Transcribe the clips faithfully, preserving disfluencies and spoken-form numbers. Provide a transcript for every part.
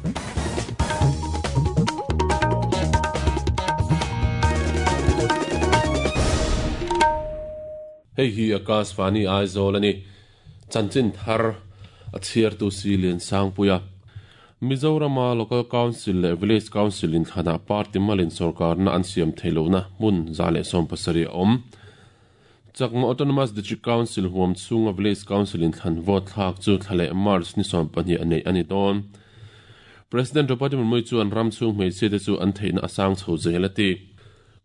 Hei hi Akashvani Aizawl ani chanchin thar a chhiar tu si lian sangpuia Mizorama Local Council leh Village Council in thana party malin sarkar na an siam theilona mun zale som pasari om Chakma Autonomous District Council huam chunga Village Council in thlan vote thlak chu thlale March ni som pahnih anei ani don President Draupadi Murmu chuan ram chung hmeichhia te chu an theihna asang chho zelati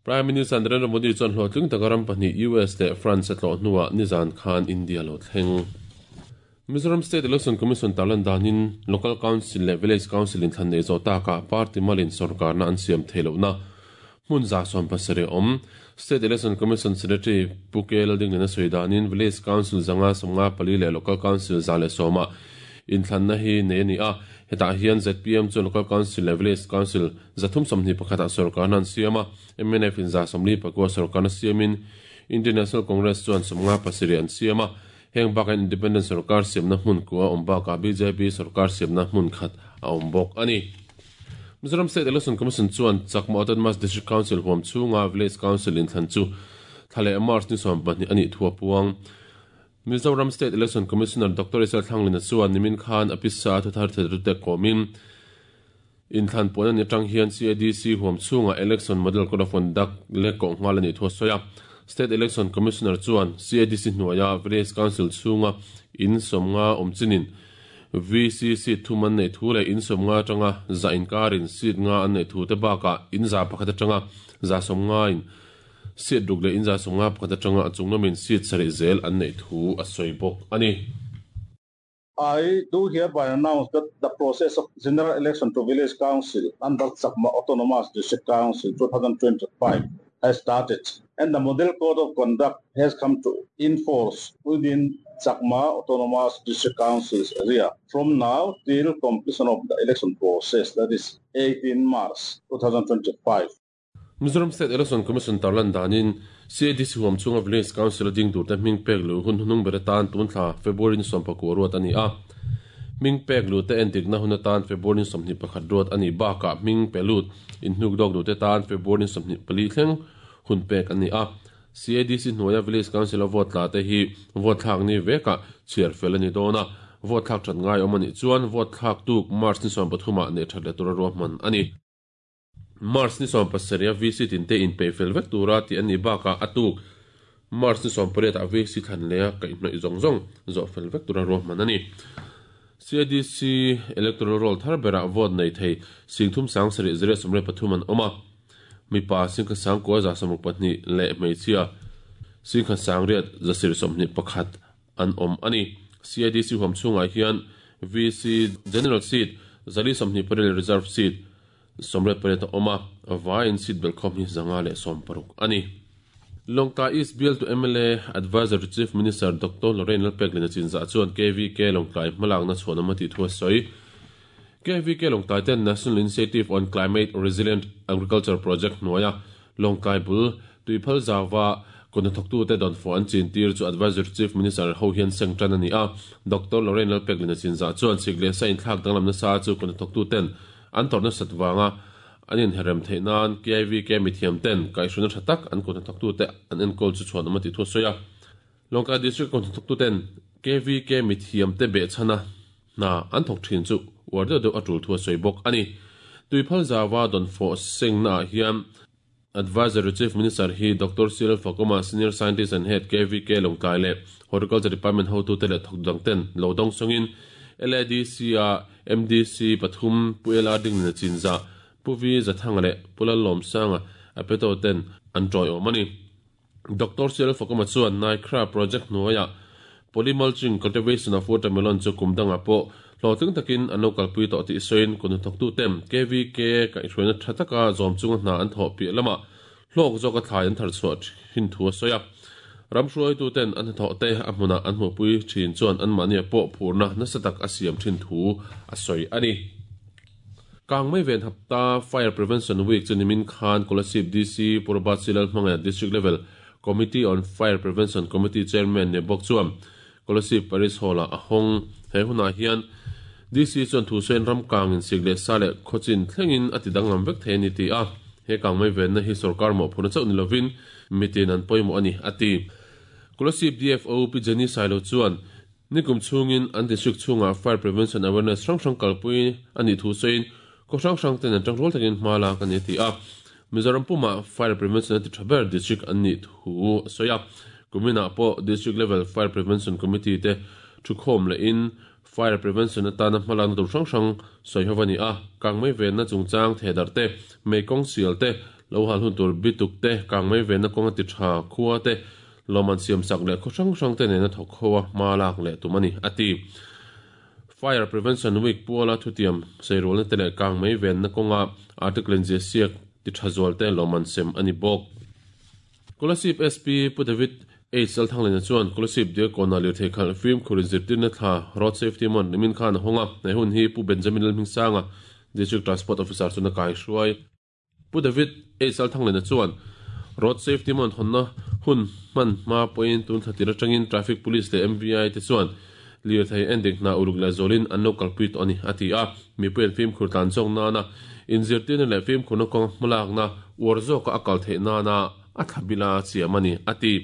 Prime Minister Narendra Modi chuan hlawhtling takaram pahnih U S leh France a tlawh hnuah nizan khan India lo thleng. Mizoram State Election Commission tarlan danin Local Council leh Village Council in thlan nei zawh takah party malin sarkar na an siam theilohna hmun za sawm pasarih awm. State Election Commission Secretary Pu K Laldingliana sawi danin Village Council zanga sawmnga pali leh Local Council za leh sawma in thlanna hi nei ani a hetah hian Z P M chu Local Council leh Village Council zathum sawmhnih pakhatah sarkar na an siam a M N F in za sawmli pakua sarkar na siamin Indian National Congress chuan sawmnga pasarih an siam a heng baka Independent sarkar siamna hmun kua awm bakah B J P sarkar siamna hmun khat a awm bawk ani. Mizoram State Election Commission chuan Chakma Autonomous District Council huam chunga Village Council in thlan chu thlale March ni sawm pahnih ani thua puang. Mizoram State Election Commissioner Doctor Isel Thanglina chuan nimin khan apisa thu thar thedrute komin in thlan pawh ani tang hian C A D C huam chunga Election Model Code of Conduct le ko ngal ani thua soya. State Election Commissioner chuan C A D C hnuaia Village Council chunga in sawmnga awmchinin V C C thuman nei thu leh in sawmnga tanga za inkarin seat nga an nei thu te bakah in za pakhat atanga za sawmnga in seat ruk leh in za sawmnga pakhat atanga a chunglamin seat sarih zel an nei thu a sawi bawk ani. I do hereby announce that the process of general election to village council under Chakma Autonomous District Council twenty twenty-five has started, and the model code of conduct has come to enforce within Chakma Autonomous District Council's area from now till completion of the election process, that is eighteenth March twenty twenty-five. Mizoram State Election Commission tarlan danin C A D C huam chunga Village Council ding tur te hming pek lu hun hunung ber tan tun thla February ni sawm pakua ruat ani a hming pek lu te entik na hun atan February ni sawmhnih pakhat ruat ani bakah hming pe lut in hnuk dawk du te tan February ni sawmhnih pali thleng hun pek ani a C A D C hnuaia Village Council a vote tla te hi vote thlak ni veka chhiar fel ani dawna vote thlak that ngai awm ani chuan vote thlak tuk March ni sawm pathumah nei that le tura ruahman ani. March ni sawm pasarih V C tin te in pe fel vek tura ti ani bakah atuk March ni sawm pariat a V C thlan leh a kaihhnawih zawng zawng zawh fel vek tura ruahman ani. C A D C electoral roll thar berah vote nei thei singthum sang sarih zero sawmriat pathum an awm a mipa singkhat sangkua za sawmruk pahnih leh hmeichhia singkhat sangriat zasir sawmhnih pakhat an awm ani. C A D C huam chungah hian V C General Seat zali sawmhnih pariat Reserve Seat sawmriat pariat a awm a vain seat bel khawm hi zanga leh sawm paruk ani. Lawngtlai East Bill to M L A Advisor to Chief Minister Doctor Lorraine Lalpeklina Chinzah chuan K V K Lawngtlai hmalakna chhuanawm a tih thu a sawi. K V K Lawngtlai ten National Initiative on Climate Resilient Agriculture Project hnuaia Lawngtlai bul tuiphal zawa kawhnathawktu te dawnfawh an chin tir chu Advisor to Chief Minister ho hian seng tan ani a. Doctor Lorraine Lalpeklina Chinzah chuan sik leh sa inthlak danglamna sa chu kawhnathawktu ten an tawrhna sat wanga an inherem theih nan K V K mithiam ten kaihhruna tha tak an kawhnathawktu te an enkawl chu chhuanawm a tih thu a sawi a. Lawngtlai District kawhnathawktu ten K V K mithiam te behchhana hna an thawk thin chu uar deuh deuh a tul thu a sawi bawk ani. Tuiphal zawa dawnfawh sengna ah hian Advisor to Chief Minister hi Doctor Cyril Fakoma Senior Scientist and Head K V K Lawngtlai leh Horticulture Department hotu te leh thawk dang ten lo dawng sawngin L A D C a M D C pathum Pu L R Dinglina Chinzah Pu V Zathanga leh Pu Lalawmsanga a peto ten an tawi awm ani. Doctor Cyril Fakoma chuan Naikra Project hnuaia Polymulching Cultivation of Watermelon chu kum danga pawh hlawhtling takin an lo kalpui tawh tih sawiin kawhnathawktu ten K V K kaihhruaina tha taka zawm chunga hna an thawh piah lama hlawk zawk a thlai an thar chhuah thin thu a sawi a. Ramhruaitu ten an hnathawh te a hmunah an hmuhpui thin chuan an mahni pawh phurna nasa tak a siam thin thu a sawi ani. Kangmei ven hapta Fire Prevention Week chu nimin khan Kolasib D C Purbat Silal hmangah District Level Committee on Fire Prevention Committee Chairman ne bawk chuan Kolasib Paris Hall a hong he hunah hian D C chuan thu sawiin ram kangin sik leh sa leh khawchin thlengin a ti danglam vek thei a ni ti a, he kangmei venna hi sorkar mawhphurhna chauh ni lovin mitin an pawimawh a ni a ti. Kolasib D F O Pi Jenny Sailo chuan nikum chhungin an district chhungah fire prevention awareness hrang hrang kalpui a nih thu sawiin khaw hrang hrang ten an tang rual takin hma lak a ni a ti a. Mizoram pumah fire prevention a ti tha ber district an nih thu a sawi a. Kuminah pawh district level fire prevention committee te thu khawm lehin fire prevention atana hmalakna tur hrang hrang sawi ho a ni a. Kangmei venna chungchang thedar te, mei kawng sial te, lo hal hun tur bituk te, kangmei venna kawng a ti tha khua te, loman siam sak leh khaw hrang hrang te nena thawk ho a hma lak leh tum a ni a ti. Fire Prevention Week puala thutiam sairulna te leh kangmei venna kawnga article in zia siak ti tha zual te loman sem a ni bawk. Kolasib S P Pu David H Lalthanglena chuan Kolasib Diakona lirthei khalh fim khurin zirtirna thla Road Safety Month nimin khan a hawnga nei hun hi Pu Benjamin Lalhmingsanga District Transport Officer chuan a kai hruai. Pu David H Lalthanglena chuan Road Safety Month hawnna hun hman hma pawhin tun thla tir atangin Traffic Police leh M V I te chuan lirthei endik hna uluk leh zawlin an lo kalpui tawh a ni a ti a. Mipuiin fim khur tlan zawk nana inzirtirna leh fim khurna kawng hmalakna uar zawka a kal theih nana a thlabila chiam a ni a ti.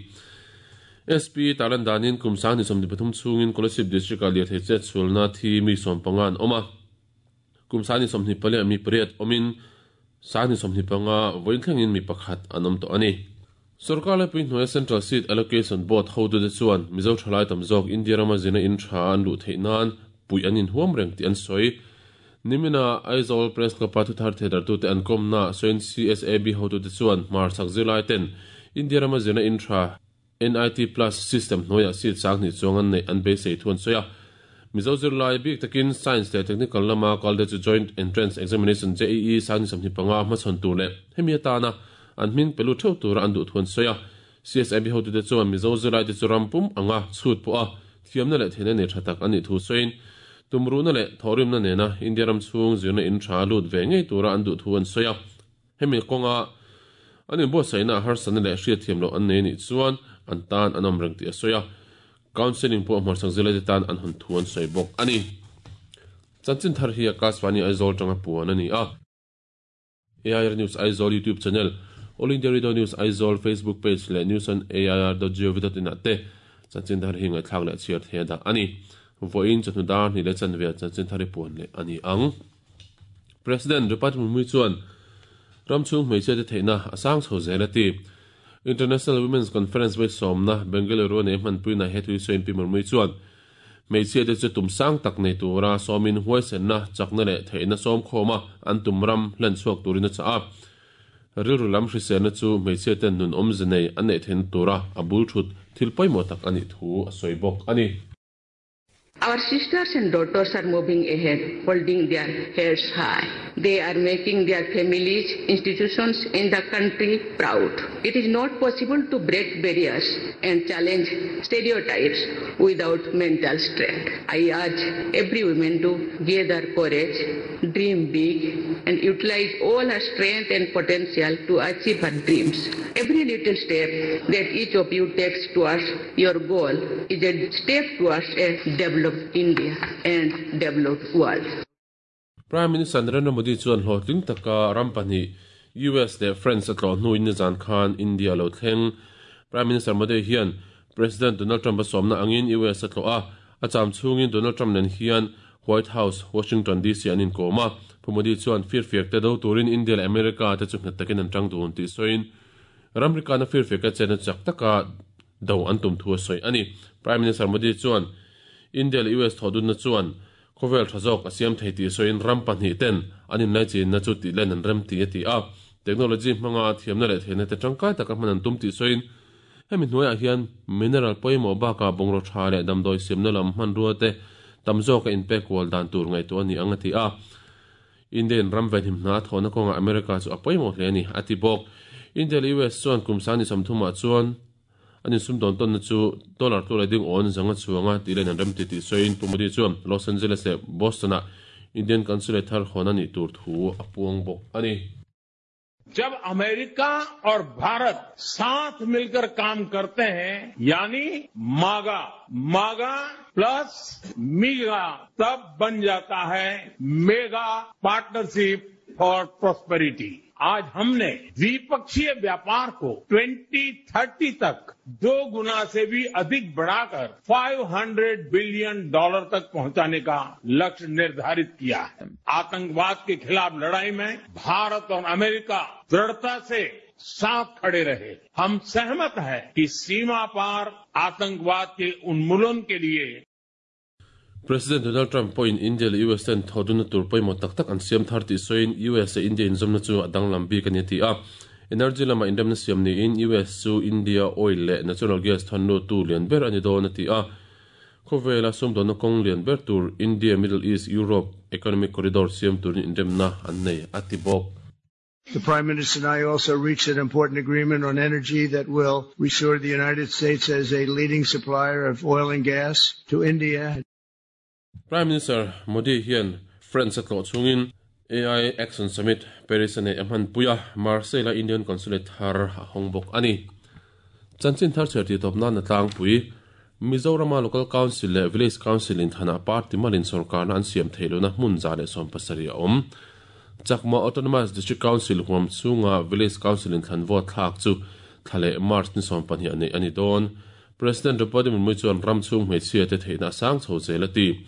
S P talan danin kum sang ni sawmhnih pathum chhungin Kolasib District ah lirthei chet chhulna thi mi sawm panga an awm a. Kum sang ni sawmhnih pali ah mi pariat awmin sang ni sawmhnih panga vawiin thlengin mi pakhat an awm tawh a ni. Sarkar lepui hnuaia Central Seat Allocation Board hotute chuan Mizo thalai tam zawk India rama zina in tha an luh theih nan pui an inhuam reng tih an sawi. Nimina Aizawl Press Club a thuthar thedartute an kawmna sawiin C S A B hotute chuan hmar chak zirlai ten India rama zina in tha N I T Plus system hnuaiah seat sang hnih chuang an neih an beisei thu an sawi a. Mizo zirlai bik takin Science leh Technical lama kalde chu Joint Entrance Examination J E E sang ni sawmhnih panga hmachhawn tur leh hemi atana an hming pelu theuh tura an duh thu an sawi a. C S I B hotute chuan Mizo zirlai te chu ram pum anga chhut pawh a thiamna leh theihna nei tha tak an nih thu sawiin tumruna leh thawrimna nena India ram chhung zirna in tha lut ve ngei tura an duh thu an sawi a. Hemi kawnga an inbuatsaihna harsatna leh hriatthiam loh an nei nih chuan an tan an awm reng tih a sawi a. Counseling pawh hmarchak zirlai te tan an hawn thu an sawi bawk a ni. Chanchin thar hi Akashvani Aizawl tanga puan a ni a. A I R News Aizawl YouTube channel, All India Radio News Aizawl Facebook page leh news on A I R dot gov dot in ah te chanchin thar hi ngaihthlak leh chhiar thei a dah a ni. Vawiin chawhnu dar hnih leh chanve chanchin thar hi puan leh a ni ang. President Draupadi Murmu chuan ram chhung hmeichhia te theihna a sang chho zel a ti. International Women's Conference vai sawmna Bengaluru nei hmanpuina he thui sawiin Pi Murmu chuan hmeichhia te chu tum sang tak nei tura sawmin huaisenna chakna leh theihna sawm khawma an tum ram hlen chhuak turin a chah a. Rilru lam hriselna chu hmeichhia ten nun awmze nei an neih theihna tura a bul thut thil pawimawh tak a nih thu a sawi bawk a ni. Our sisters and daughters are moving ahead, holding their heads high. They are making their families, institutions and the country proud. It is not possible to break barriers and challenge stereotypes without mental strength. I urge every woman to gather courage, dream big and utilize all her strength and potential to achieve her dreams. Every little step that each of you takes towards your goal is a step towards a developed India and developed world. Prime Minister Narendra Modi chuan hlawhtling taka ram pahnih U S leh France a tlawh hnuin nizan khan India lo thleng. Prime Minister Modi hian President Donald Trump a sawmna angin U S a tlawh a, a cham chhungin Donald Trump nen hian White House, Washington D C an inkawm a. Pu Modi chuan firfiak te do turin India leh America te chu nghet takin an tang dun tih sawiin ramrika na firfiak a chen a chak taka do an tum thu a sawi a ni. Prime Minister Modi chuan India leh U S thawhdunna chuan khawvel tha zawk a siam thei tih sawiin ram pahnih ten an inlai chinna chu tih len an rem ti a ti a. Technology hmanga thiamna leh theihna te tangkai taka hman an tum tih sawiin hemi hnuaiah hian mineral pawimawh bakah bungraw tha leh damdawi siamna lam hmanrua te tam zawk a inpek kual dan tur ngaihtuah a ni ang a ti a. Indian ram venhim hna thawhna kawngah America chu a pawimawh hle a ni a ti bawk. India leh U S chuan kum sang ni sawmthumah chuan an insum dawn tawnna chu dollar tu leh ding awn zanga chuanga tih len an rem ti tih sawiin Pu Modi chuan Los Angeles leh Boston ah Indian Consulate thar hawn a nih tur thu a puang bawk a ni. जब अमेरिका और भारत साथ मिलकर काम करते हैं यानी मागा मागा प्लस मीगा तब बन जाता है mega partnership for prosperity. आज हमने द्विपक्षीय व्यापार को ट्वेंटी थर्टी तक दो गुना से भी अधिक बढ़ाकर five hundred billion dollar तक पहुंचाने का लक्ष्य निर्धारित किया है। आतंकवाद के खिलाफ लड़ाई में भारत और अमेरिका दृढ़ता से साथ खड़े रहे। हम सहमत हैं कि सीमा पार आतंकवाद के उन्मूलन के लिए President Donald Trump pawhin India leh U S ten thawhdunna tur pawimawh tak tak an siam thar tih sawiin U S leh India inzawmna chu a danglam bik a ni a ti a. Energy lama inremna siam niin U S chu India oil leh natural gas thannu tu lian ber a ni dawn a ti a. Khawvela sumdawnna kawng lian ber tur India Middle East Europe Economic Corridor siam turin inremna an nei a ti bawk. The Prime Minister and I also reached an important agreement on energy that will restore the United States as a leading supplier of oil and gas to India. Prime Minister Modi hian France a tlawh chungin A I Action Summit Paris a nei a hman pui a, Marseille a Indian Consulate thar a hawng bawk a ni. Chanchin thar chher tih tawp nan a tlangpui. Mizorama Local Council leh Village Council in thana party malin sorkarna an siam theih lohna hmun za leh sawm pasarih a awm. Chakma Autonomous District Council huam chunga Village Council in thlan vote thlak chu thla leh March ni sawm pahnih a nei a ni dawn. President Draupadi Murmu chuan ram chhung hmeichhia te theihna a sang chho zel a ti.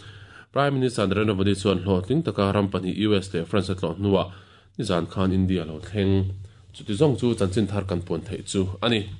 Prime Minister Narendra Modi chuan hlawhtling taka ram pahnih U S leh France a tlawh hnuah nizan khan India lo thleng. Chuti zawng chu chanchin thar kan puan theih chu a ni.